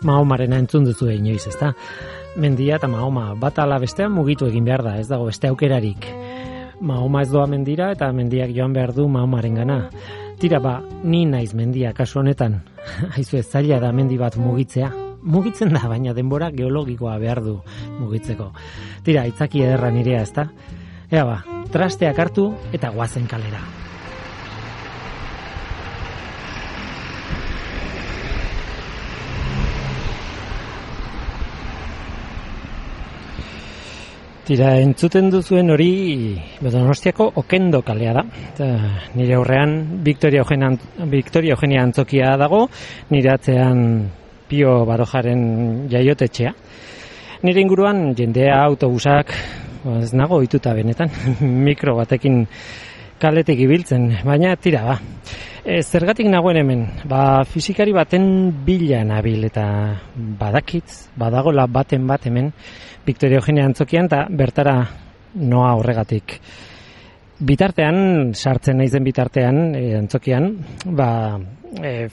Mahomarena entzun duzu inoiz, ezta? Mendia eta Mahoma bat ala bestean mugitu egin behar da, ez dago beste aukerarik. Mahoma ez doa mendira eta mendiak joan behar du Mahomarengana. Tira ni naiz mendia kasu honetan. Haizu ez zaila da mendi bat mugitzea. Mugitzen da, baina denbora geologikoa behar du mugitzeko. Tira, itzaki ederra nirea, ezta? Ea trasteak hartu eta goazen kalera. Tira, entzuten duzuen hori Donostiako Okendo kalea da. Nire aurrean Victoria Eugenia Antzokia dago, nire atzean Pio Barojaren jaiotetxea. Nire inguruan jendea, autobusak, ez nago ohituta benetan, mikro batekin kaletik ibiltzen, baina tira, zergatik nagoen hemen, fisikari baten bila nabil eta badagola baten bat hemen Victoria Eugenia Antzokian eta bertara noa horregatik. Bitartean, sartzen naizen bitartean, Antzokian,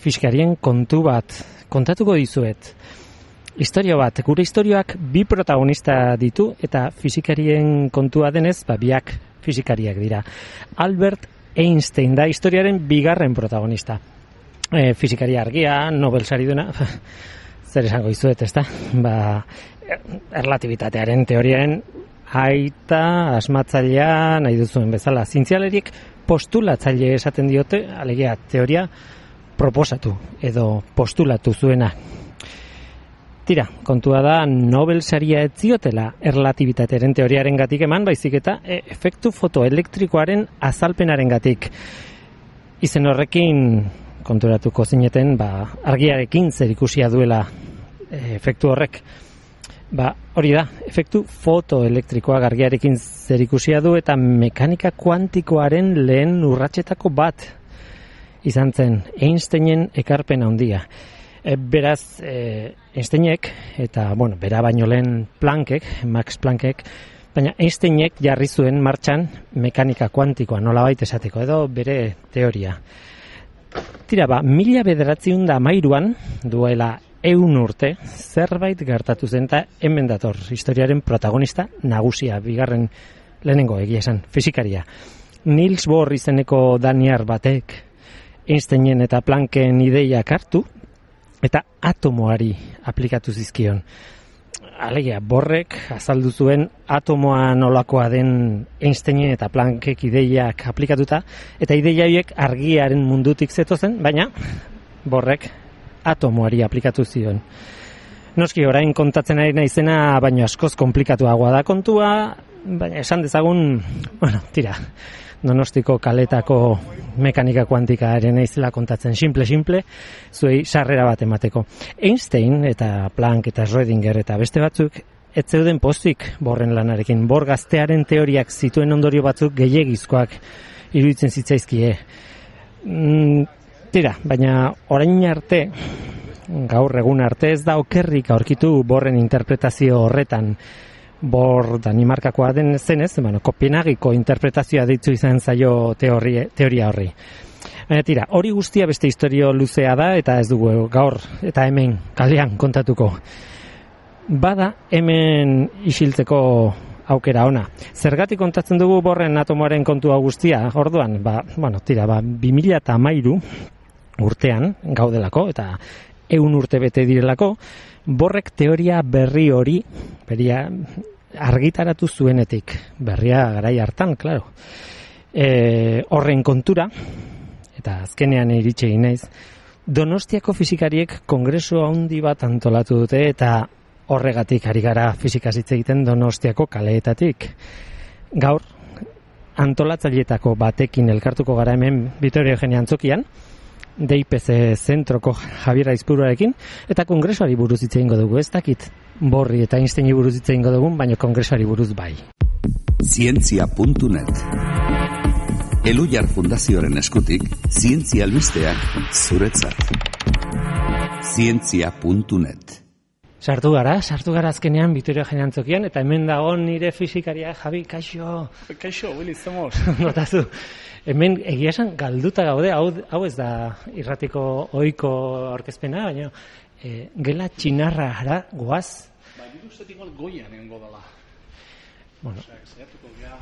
fiskarien kontu bat kontatuko dizuet. Historio bat, gure historioak bi protagonista ditu eta fizikarien kontua denez, biak fizikariak dira. Albert Einstein da historiaren bigarren protagonista. Fizikaria argia, Nobel sariduna, zer esango dizuet, ezta? Erlatibitatearen teoriaren aita, asmatzailea, nahi duzuen bezala. Zientzialariek postulatzaile esaten diote, alegia teoria proposatu edo postulatu zuena. Tira, kontua da Nobel saria ez ziotela erlatibitatearen teoriaren gatik eman, baizik eta efektu fotoelektrikoaren azalpenaren gatik. Izen horrekin konturatuko zineten, argiarekin zer ikusia duela efektu horrek. Hori da, efektu fotoelektrikoa argiarekin zer ikusia du eta mekanika kuantikoaren lehen urratsetako bat izan zen Einsteinen ekarpen handia. Beraz, Einsteinek eta, bera baino lehen Max Planckek, baina Einsteinek jarri zuen martxan mekanika kuantikoa, nolabait esateko, edo bere teoria. Tira, 1913an, duela 100 urte, zerbait gertatu zen eta hemen dator historiaren protagonista nagusia, bigarren lehenengo egia esan, fizikaria. Niels Bohr izeneko daniar batek Einsteinen eta Plancken ideiak hartu eta atomoari aplikatu zizkion. Alegia, Bohrrek azaldu zuen atomoa nolakoa den Einsteinen eta Planckek ideiak aplikatuta, eta ideia horiek argiaren mundutik zetozen, baina Bohrrek atomoari aplikatu zion. Noski, orain kontatzen ari naizena, baino askoz komplikatuagoa da kontua, baina esan dezagun, Donostiko kaletako mekanika kuantikaren naizela kontatzen simple, zuei sarrera bat emateko. Einstein eta Planck eta Schrödinger eta beste batzuk ez zeuden pozik Bohrren lanarekin. Bohr gaztearen teoriak zituen ondorio batzuk gehiegizkoak iruditzen zitzaizkie. Baina orain arte, gaur egun arte ez da okerrik aurkitu Bohrren interpretazio horretan. Bohr Danimarkakoa den zenez, Kopenhagiko interpretazioa deitu izan zaio teoria horri. Baina hori guztia beste historio luzea da eta ez dugu gaur eta hemen kalean kontatuko. Bada hemen isiltzeko aukera ona. Zergatik kontatzen dugu Bohrren atomoaren kontua guztia, orduan, 2013 urtean gaudelako eta 100 urte bete direlako, Bohrrek teoria berri hori, argitaratu zuenetik, berria garai hartan, klaro. Horren kontura, eta azkenean iritsi egin naiz, Donostiako fisikariek kongresu handi bat antolatu dute eta horregatik ari gara fisikaz hitz egiten Donostiako kaleetatik. Gaur, antolatzaileetako batekin elkartuko gara hemen Victoria Eugenia Antzokian, DIPC zentroko Javier Aizpuruarekin, eta kongresuari buruz hitz egingo dugu, ez dakit Bohrri eta Einsteini buruz hitz egingo dugun, baina kongresuari buruz bai. Zientzia.net Eluyar Fundazioaren eskutik, zientzia albisteak zuretzat. Zientzia.net Sartu gara azkenean Vitoria Antzokian, eta hemen dago nire fisikaria Javi, kaixo. Kaixo, Willy, zemos. Notatu, hemen egia esan galduta gaude, hau ez da irratiko ohiko aurkezpena, baina gela txinarra ara goaz. Ba, nire ustetik goian egon godala. Bueno. Zaiatuko gea,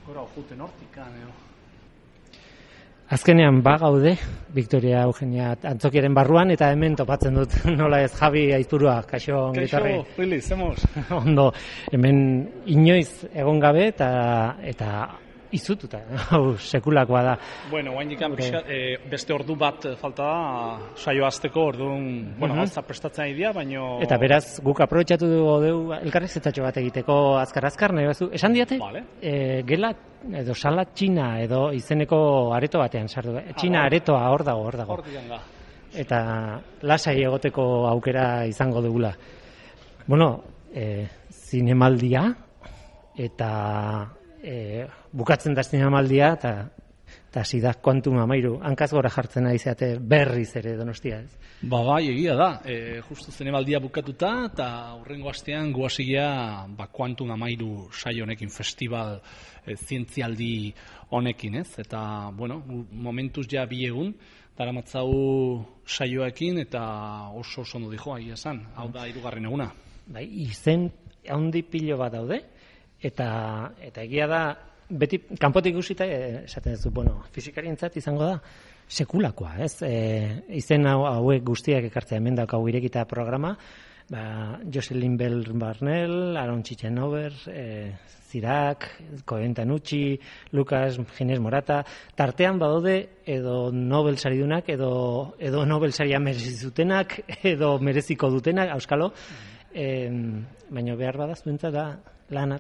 gora ojuten hortikan, Azkenean gaude, Victoria Eugenia Antzokiaren barruan, eta hemen topatzen dut, nola ez, Javi Aizpurua, kaixo ongitorri. Kaixo, Willy, zemos. Ondo, hemen inoiz egon gabe eta izututa, hau sekulakoa da. Bueno, guain dikan beste ordu bat falta da, saio azteko orduan, bueno, gauza prestatzen idea, baino... Eta beraz, guk aprobetxatu dugu elkarrizketatxo bat egiteko azkar, nahi bazu. Esan diate, vale. Gela edo sala txina edo izeneko areto batean sartu. Txina aretoa hor dago. Hortikan da. Eta lasai egoteko aukera izango dugula. Bueno, zinemaldia eta bukatzen da zinemaldia eta hasi da Quantum Amairu. Hankaz gora jartzen ari zeate berriz ere Donostia, ez? Bai, egia da. Justu zinemaldia bukatuta eta hurrengo astean guasia Quantum Amairu saio honekin, festival zientzialdi honekin, ez? Eta, bueno, momentuz ja bi egun daramatzau saioekin eta oso ondo dijo ahi esan. Hau da 3. eguna. Bai, izen handi pilo bat daude eta egia da beti kanpotik ikusita esaten duzu, bueno, fisikarientzat izango da sekulakoa, ez? Izen hauek guztiak ekartzea hemen daukagu irekita programa, Jocelyn Bell Barnell, Aaron Chichenover, Zirak, Cohen Tanucci, Lucas Ginés Morata, tartean badaude edo Nobel saridunak, edo Nobel saria merezi zutenak, edo mereziko dutenak, auskalo, baina behar badaz duentza da lana,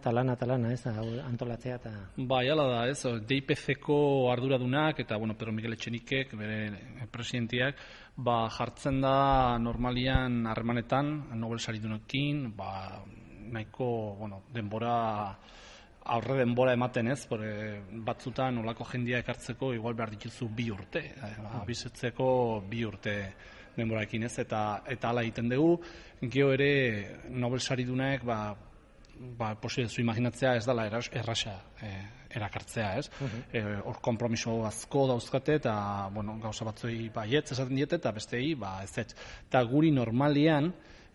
ez, antolatzea eta... Bai, ala da, ez, DIPC-ko arduradunak eta, bueno, Pedro Miguel Etxenikek, bere presidentiak, jartzen da normalian harremanetan, Nobel saridunekin, nahiko, bueno, aurre denbora ematen ez, batzutan olako jendia ekartzeko igual behar dituzu 2 urte, abizetzeko 2 urte denboraekin ez, eta hala egiten dugu, gero ere Nobel saridunek, posible zu imaginatzea ez dela erraxa erakartzea, ez? Hor konpromiso asko dauzkate eta, bueno, gauza batzoi baietz esaten diete eta bestei, ezetz. Eta guri normalian,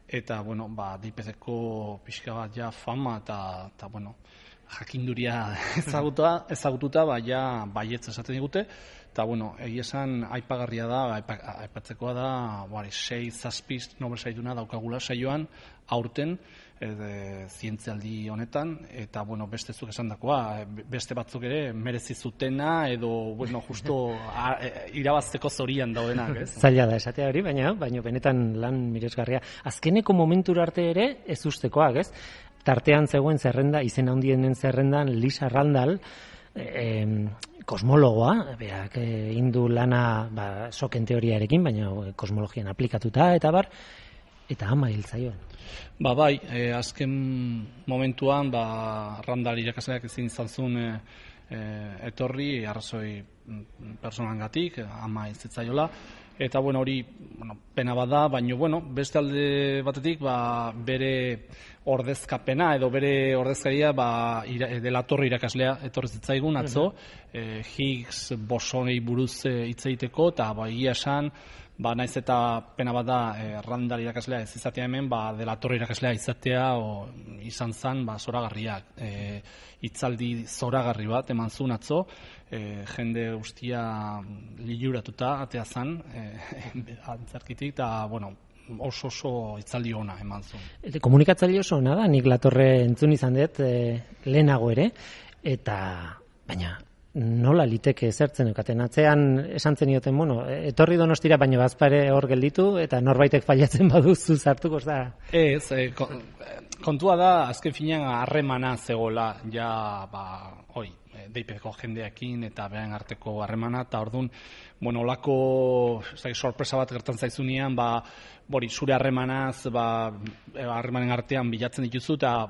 eta, bueno, DIPC-ko pixka bat ja fama eta bueno, jakinduria ezagututa, ja baietz esaten digute, eta, bueno, egia esan aipagarria da, aipatzekoa da, 6-7 Nobel sariduna daukagula saioan, aurten, zientzialdi honetan, eta, bueno, beste zuk esandakoa, beste batzuk ere merezi zutena, edo, bueno, justo irabazteko zorian daudenak, ez? Zaila da esatea hori, baina benetan lan miresgarria. Azkeneko momentura arte ere ez ustekoak, ez? Tartean zegoen zerrenda, izen handienen zerrendan, Lisa Randall, kosmologoa, berak indu lana soken teoriarekin, baina kosmologian aplikatuta, eta eta ama hil zaioan. Bai, azken momentuan, Randall irakasleak ezin izan zuen etorri, arrazoi personalengatik, ama hil zitzaiola, eta, bueno, hori pena bada, baina, bueno, beste alde batetik, bere ordezkapena edo bere ordezkaria delatorre irakaslea etorri zitzaigun atzo, Higgs bosonei buruz hitz egiteko, eta egia esan, naiz eta pena bada Randall irakaslea ez izatea hemen, delatorre irakaslea izatea izan zen zoragarriak. Hitzaldi zoragarri bat eman zuen atzo, jende guztia liluratuta atea zen, antzarkitik, eta, bueno, oso hitzaldi ona eman zuen. Komunikatzaile oso ona da, nik Latorre entzun izan dut lehenago ere, eta baina nola liteke zertzen eukaten atzean esan zenioten, bueno, etorri Donostira baina bazpare hor gelditu eta norbaitek failatzen baduzu zartuko ez da? Ez, kontua da azken finean harremana zegoela ja, deipeko jendeekin eta beraien arteko harremana, eta orduan, olako sorpresa bat gertan zaizunean, zure harremanaz, harremanen artean bilatzen dituzu, eta,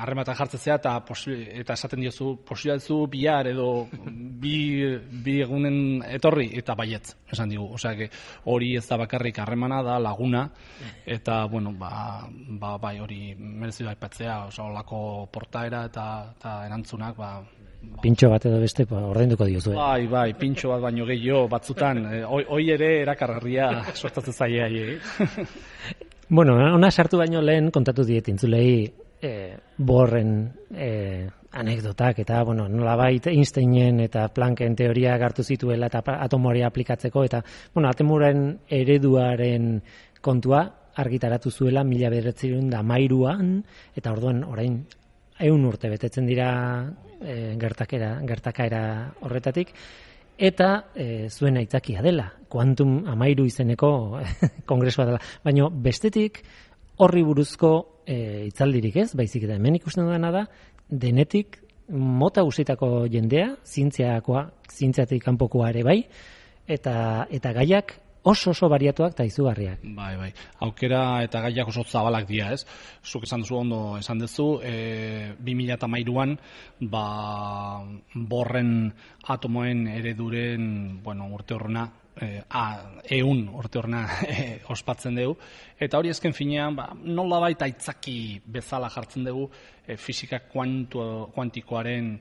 harrematan jartzea eta esaten diozu, posibila duzu bihar edo bi egunen etorri, eta baietz, esan digu. Hori ez da bakarrik harremana, da laguna, eta, bai, hori merezi da aipatzea, olako portaera eta erantzunak, pintxo bat edo beste ordainduko diozu. Bai, pintxo bat baino gehiago batzutan, hoi ere erakargarria sortatzen zaie. Ona sartu baino lehen kontatu diet intzulei Bohrren anekdotak eta nolabait Einsteinen eta Plancken teoria hartu zituela eta atomoari aplikatzeko eta atomoaren ereduaren kontua argitaratu zuela 1913an eta orduan orain 100 urte betetzen dira gertakaera horretatik, eta zuen aitzakia dela, Quantum 13 izeneko kongresua dela. Baina bestetik horri buruzko hitzaldirik ez, baizik eta hemen ikusten dudana da, denetik mota guztietako jendea, zientziatik kanpokoa ere bai, eta gaiak oso bariatuak eta izugarriak. Bai. Aukera eta gaiak oso zabalak dira, ez? Zuk esan duzu ondo esan duzu, 2013an Bohrren atomoen ereduren, urte horrena, 100 urte horrena ospatzen dugu, eta hori ezken finean, nolabait aitzaki bezala jartzen dugu fisika kuantikoaren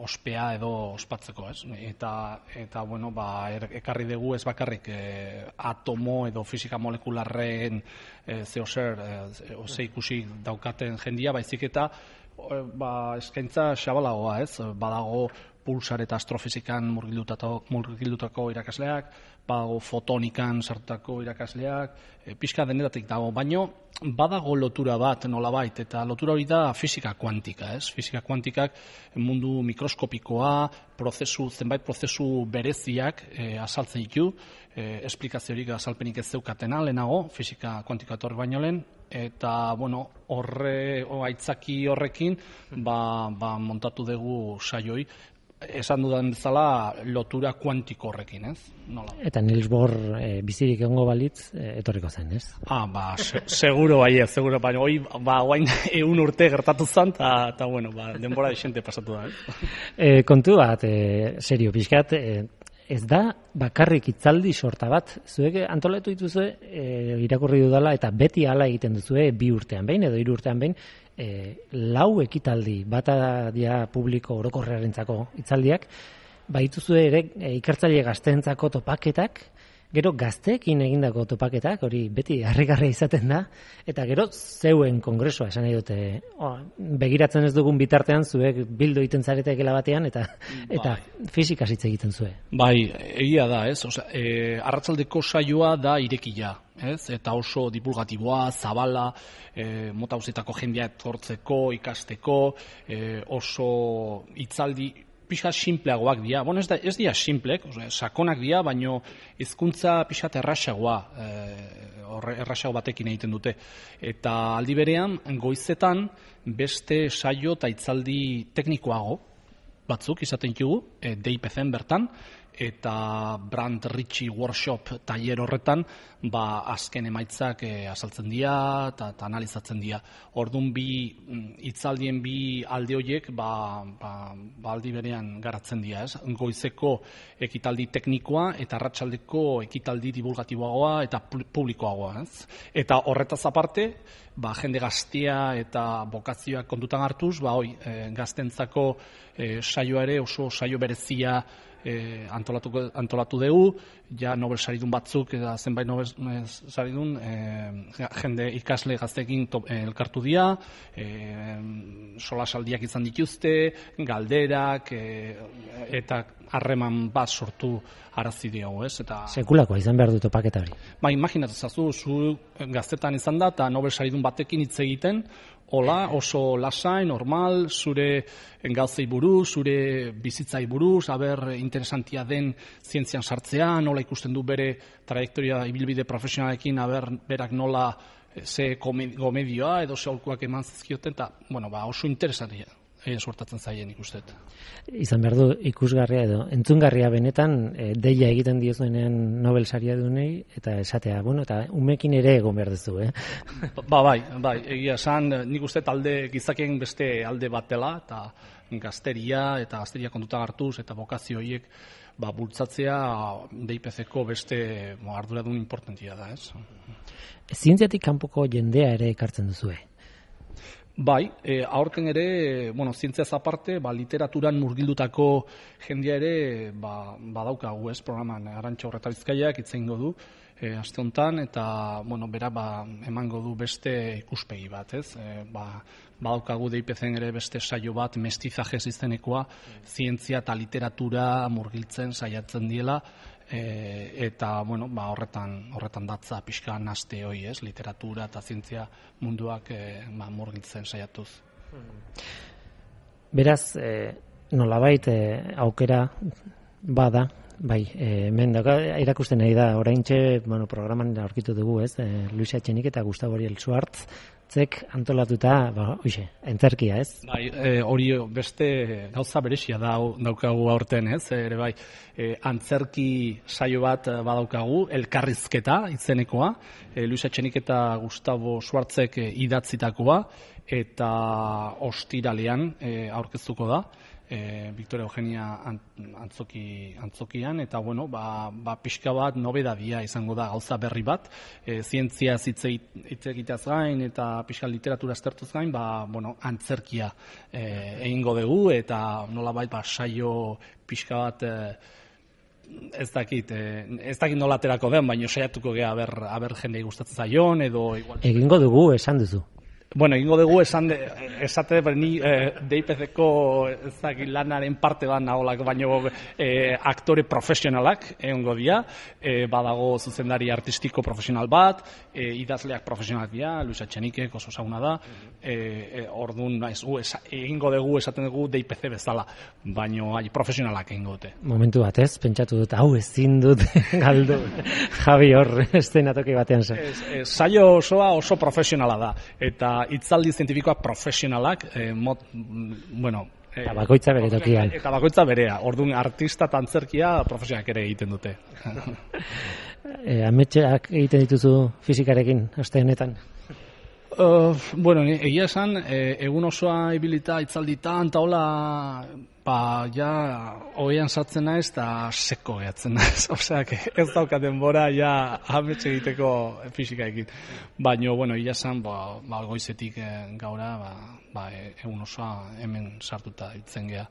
ospea edo ospatzeko, ez? Eta ekarri dugu ez bakarrik atomo edo fisika molekularren ze ikusi daukaten jendia, baizik eta eskaintza xabalagoa, ez? Badago pulsar eta astrofizikan murgildutako irakasleak, badago fotonikan sartutako irakasleak, pixka denetatik dago, baino badago lotura bat nolabait, eta lotura hori da fisika kuantika, ez? Fisika kuantikak mundu mikroskopikoa, zenbait prozesu bereziak azaltzen ditu, esplikaziorik azalpenik ez zeukatena lehenago, fisika kuantikoa etorri baino lehen, eta, aitzaki horrekin, montatu dugu saioi, esan dudan bezala lotura kuantiko horrekin, ez? Nola? Eta Niels Bohr bizirik egongo balitz etorriko zen, ez? Seguro baina, hoi, guain 100 urte gertatu zen, eta, denbora desente pasatu da, ez? Kontu bat, serio, pixkat, ez da bakarrik hitzaldi sorta bat, zuek antolatu dituzue irakurri dudala eta beti hala egiten duzue 2 urtean behin edo 3 urtean behin, 4 ekitaldi, bata dia publiko orokorrarentzako hitzaldiak, baituzue ere ikertzaile gazteentzako topaketak, gero gazteekin egindako topaketak, hori beti harrigarria izaten da, eta gero zeuen kongresua, esan nahi dute, begiratzen ez dugun bitartean, zuek bildu egiten zaretekela batean, eta fisikaz hitz egiten zue. Bai, egia da, ez? Arratsaldeko saioa da irekia, ez? Eta oso divulgatiboa, zabala, mota guztietako jendea etortzeko, ikasteko, oso hitzaldi pixat simpleagoak dira. Ez dira simplek, sakonak dira, baino hizkuntza pixat errasagoa, errasago batekin egiten dute. Eta aldi berean, goizetan beste saio eta hitzaldi teknikoago batzuk izaten ditugu, DIPC-en bertan, eta Brand Ritchie Workshop tailer horretan azken emaitzak azaltzen dira eta analizatzen dira. Orduan hitzaldien bi alde horiek aldi berean garatzen dira, ez? Goizeko ekitaldi teknikoa eta arratsaldeko ekitaldi divulgatiboagoa eta publikoagoa, ez? Eta horretaz aparte, jende gaztea eta bokazioak kontutan hartuz, gaztentzako saioa ere oso saio berezia antolatu dugu, ja Nobel saridun batzuk eta zenbait Nobel saridun jende ikasle gazteekin elkartu dira, solasaldiak izan dituzte, galderak eta harreman bat sortu arazi diogu, ez? Sekulakoa izan behar du topaketa hori. Imaginatu zazu, zu gaztetan izan da eta Nobel saridun batekin hitz egiten, hola, oso lasai, normal, zure gauzei buruz, zure bizitzai buruz, interesantia den zientzian sartzea, nola ikusten du bere trajektoria ibilbide profesionalekin, berak nola ze gomedioa edo ze aholkuak eman zizkioten, eta, oso interesantia suertatzen zaien ikusten. Izan behar du ikusgarria edo entzungarria benetan deia egiten diozuenean Nobel saria dunei eta esatea, bueno, eta umekin ere egon behar duzu, Bai, egia esan, nik uste gizakien beste alde bat dela, eta gazteria kontuta hartuz eta bokazio horiek bultzatzea DIPC-ko beste arduradun importantia da, ez? Zientziatik kanpoko jendea ere ekartzen duzue? Bai, aurten ere, zientziaz aparte, literaturan murgildutako jendea ere badaukagu, ez, programan Arantxa Urreta Bizkaiak hitz egingo du aste honetan, eta bera emango du beste ikuspegi bat, ez? Badaukagu DIPC-en ere beste saio bat, mestizajez izenekoa, zientzia eta literatura murgiltzen saiatzen diela, eta horretan datza pixka naste hoi, ez, literatura eta zientzia munduak murgiltzen saiatuz. Beraz, nolabait aukera bada, bai, hemen irakusten nahi da, oraintxe programan aurkitu dugu, ez, Luis Etxenik eta Gustavo Ariel Schwartz antolatuta, antzerkia, ez? Bai, hori beste gauza beresia daukagu aurten, ez? Ere bai, antzerki saio bat badaukagu, elkarrizketa izenekoa, Luis Etxenik eta Gustavo Schwartzek idatzitakoa, eta ostiralean aurkeztuko da, Victoria Eugenia antzokian, eta pixka bat nobedadia izango da, gauza berri bat, zientzia hitz egiteaz gain eta pixka literatura aztertuz gain, antzerkia egingo dugu, eta nolabait saio pixka bat ez dakit nola aterako den, baina saiatuko gea aber jendei gustatzen zaion, edo igual. Egingo dugu, esan duzu. Egingo dugu esate ni DIPC-ko lanaren parte bat naholak, baino aktore profesionalak egongo dira, badago zuzendari artistiko profesional bat, idazleak profesionalak dira, Luis Etxenikek oso ezaguna da, orduan egingo dugu esaten dugu DIPC bezala, baino profesionalak egingo dute. Momentu bat, ez? Pentsatu dut, hau ezin dut galdu, Javi hor estenatoki batean zen. Saio osoa oso profesionala da, eta hitzaldi zientifikoak profesionalak, eta bakoitza bere tokian. Eta bakoitza berea, orduan artista eta antzerkia profesionalak ere egiten dute. Ametxeak egiten dituzu fizikarekin, aste honetan? Egia esan, egun osoa ibilita hitzalditan, eta hola, oean sartzen naiz eta seko gehatzen naiz. Osea, ez dauka denbora ametxe egiteko fizikaekin. Baina, egia esan, goizetik gaura, egun osoa hemen sartuta hitzen geha.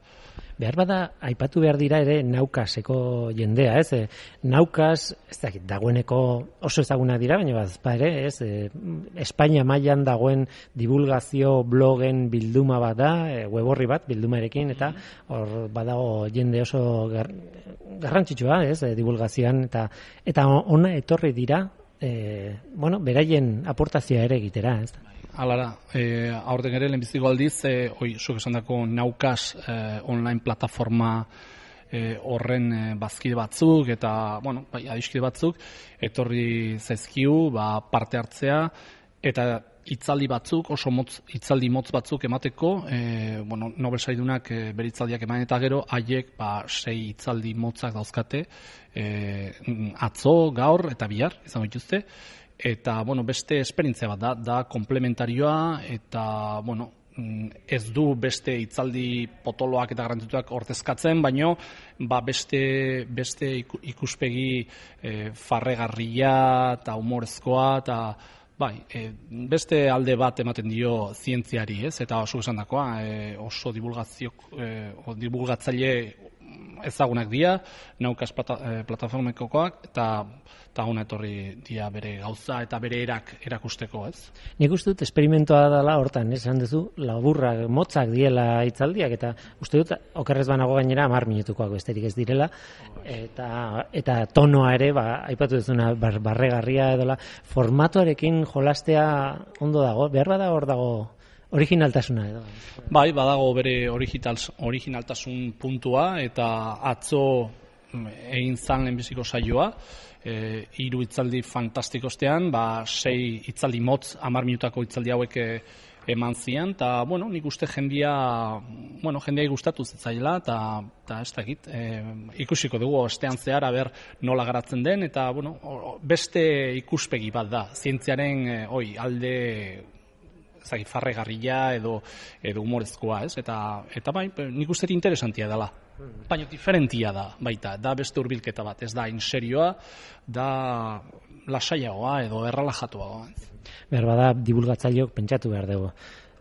Behar bada, aipatu behar dira ere naukaseko jendea, ez? Naukas, ez dakit, dagoeneko oso ezaguna dira, baina ere, ez? Espainia mailan dagoen divulgazio blogen bilduma bat da, web orri bat bildumarekin, eta hor badago jende oso garrantzitsua, ez? Divulgazioan, eta ona etorri dira, beraien aportazioa ere egitera, ez? Alara, aurten ere lehenbiziko aldiz, zuk esan dako Naukas online plataforma horren bazkide batzuk eta adiskide batzuk etorri zaizkiu parte hartzea eta hitzaldi batzuk, oso hitzaldi motz batzuk emateko, Nobel saridunak bere hitzaldiak eman eta gero, haiek 6 hitzaldi motzak dauzkate, atzo, gaur eta bihar, izango dituzte, eta beste esperientzia bat da komplementarioa, eta ez du beste hitzaldi potoloak eta garrantzituak ordezkatzen, baino beste ikuspegi farregarria eta humorezkoa eta beste alde bat ematen dio zientziari, ez? Eta oso esandakoa, oso divulgatzaile ezagunak dira, Naukas plataformekoak, eta hona etorri dira bere gauza eta bere erakusteko, ez? Nik uste dut esperimentoa dela hortan, esan duzu, laburrak, motzak diela hitzaldiak, eta uste dut, okerrez banago gainera 10 minutukoak besterik ez direla, eta tonoa ere, aipatu duzuna, barregarria edola, formatoarekin jolastea ondo dago, behar bada hor dago originaltasuna edo. Badago bere originaltasun puntua, eta atzo egin zan lehenbiziko saioa, 3 hitzaldi fantastiko ostean, 6 hitzaldi motz, 10 minutako hitzaldi hauek eman zian, eta, nik uste jendeai gustatu zitzaila, eta ez dakit, ikusiko dugu ostean zehar, nola garatzen den, eta, beste ikuspegi bat da, zientziaren alde farregarria edo humorezkoa, ez? Eta nik uste interesantia dela. Baina diferentia da, baita, da beste hurbilketa bat, ez da inserioa, da lasaiagoa edo erralajatuagoa. Behar bada, divulgatzaileok pentsatu behar dugu.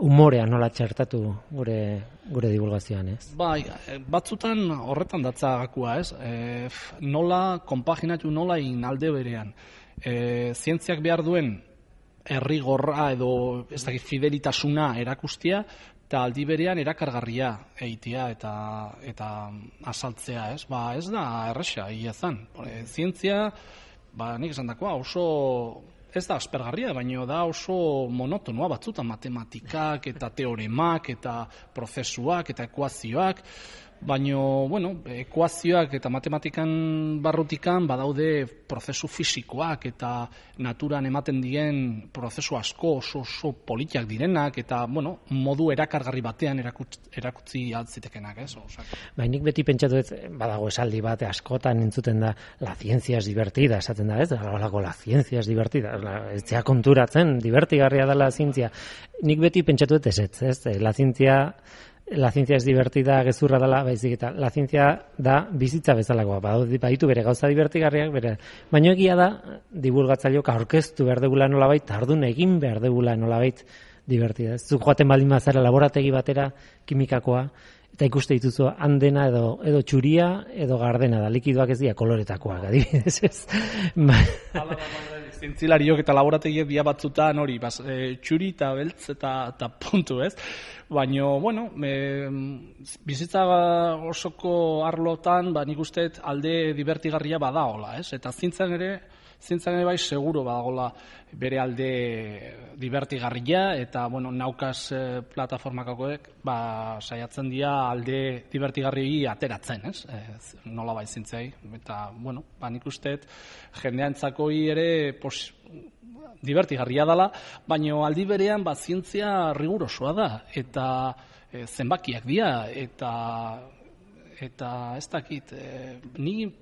Humorea nola txertatu gure divulgazioan, ez? Batzutan horretan datza gakua, ez? Nola konpaginatu nola alde berean. Zientziak behar duen errigorra edo ez dakit fidelitasuna erakustia, eta aldi berean erakargarria egitea eta azaltzea, ez? Ez da erresa, iazan. Zientzia, nik esan dakoa, oso ez da aspergarria, baina da oso monotonoa batzutan matematikak eta teoremak eta prozesuak eta ekuazioak, baina, ekuazioak eta matematikan barrutikan badaude prozesu fisikoak eta naturan ematen dien prozesu asko oso politiak direnak eta, modu erakargarri batean erakutzi altzitekenak, ez? Nik beti pentsatu badago esaldi bat askotan entzuten da la ciencia es divertida, esaten da, ez? La ciencia es divertida, ez zea konturatzen, divertigarria da la zientzia. Nik beti pentsatu ez? La ciencia es divertida, gezurra dela, baizik eta la ciencia da bizitza bezalakoa, baditu bere gauza divertigarriak, baina egia da, divulgatzaileok aurkeztu behar degula nolabait, tardun egin behar degula nolabait divertida. Zuk joaten baldin bazara laborategi batera, kimikakoa, eta ikuste dituzu handena edo txuria edo gardena da, likidoak ez dira koloretakoak, adibidez ez. Zientzilariok eta laborategiek dia batzutan txuri eta beltz eta puntu, ez? Baina, bizitza osoko arlotan, nik uste alde divertigarria badagola, ez? Eta zientzan ere bai seguro badagola bere alde divertigarria, eta, naukaz plataformakakoek, saiatzen dira alde divertigarri ateratzen, ez? Nola bai zientzai, eta, nik uste jendeantzakoi ere divertigarria dela, baina aldi berean zientzia rigurosoa da, eta zenbakiak dira, eta ez dakit, ni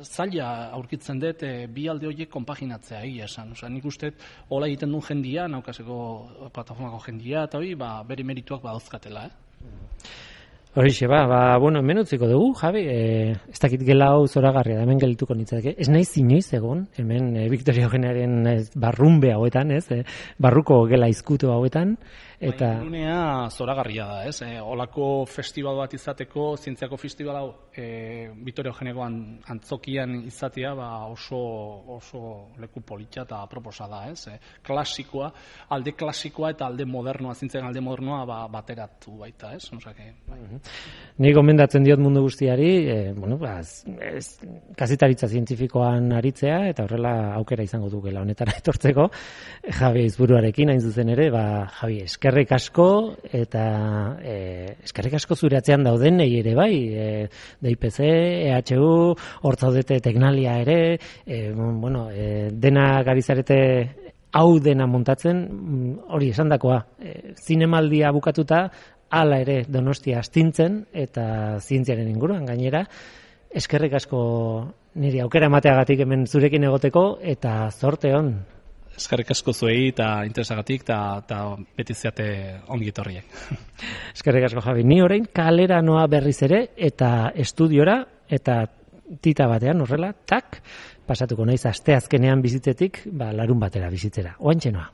zaila aurkitzen dut bi alde horiek konpaginatzea egia esan. Nik uste hola egiten duen jendia, naukazeko plataformako jendia, eta bere merituak badauzkatela. Horixe, hemen utziko dugu, Javi, ez dakit gela hau zoragarria, hemen gelituko nintzateke. Ez naiz inoiz egon, hemen Victoria Eugenaren barrunbe hauetan, barruko gela izkutu hauetan. Gunea zoragarria da, ez? Olako festival bat izateko, zientziako festival hau, Victoria Eugeneko antzokian izatea, oso leku politxa eta proposa da, ez? Klasikoa, alde klasikoa eta alde modernoa, zientziaren alde modernoa bateratu baita, ez? Ni gomendatzen diot mundu guztiari, kazetaritza zientifikoan aritzea, eta horrela aukera izango dukela honetara etortzeko, Javi Aizburuarekin hain zuzen ere, Javi, eskerrik asko, eta eskerrik asko zure atzean dauden nahi ere bai, DIPC, EHU, hor zaudete Teknalia ere, dena garizarete hau dena montatzen, hori esandakoa, zinemaldia bukatuta, hala ere Donostia astintzen eta zientziaren inguruan gainera. Eskerrik asko niri aukera emateagatik hemen zurekin egoteko eta zorte on. Eskerrik asko zuei eta interesagatik eta beti zeate ongi etorriek. Eskerrik asko Javi. Ni orain kalera noa berriz ere eta estudiora eta tita batean horrela, pasatuko naiz asteazkenean bizitzetik, larun batera bizitzera. Oantxe noa.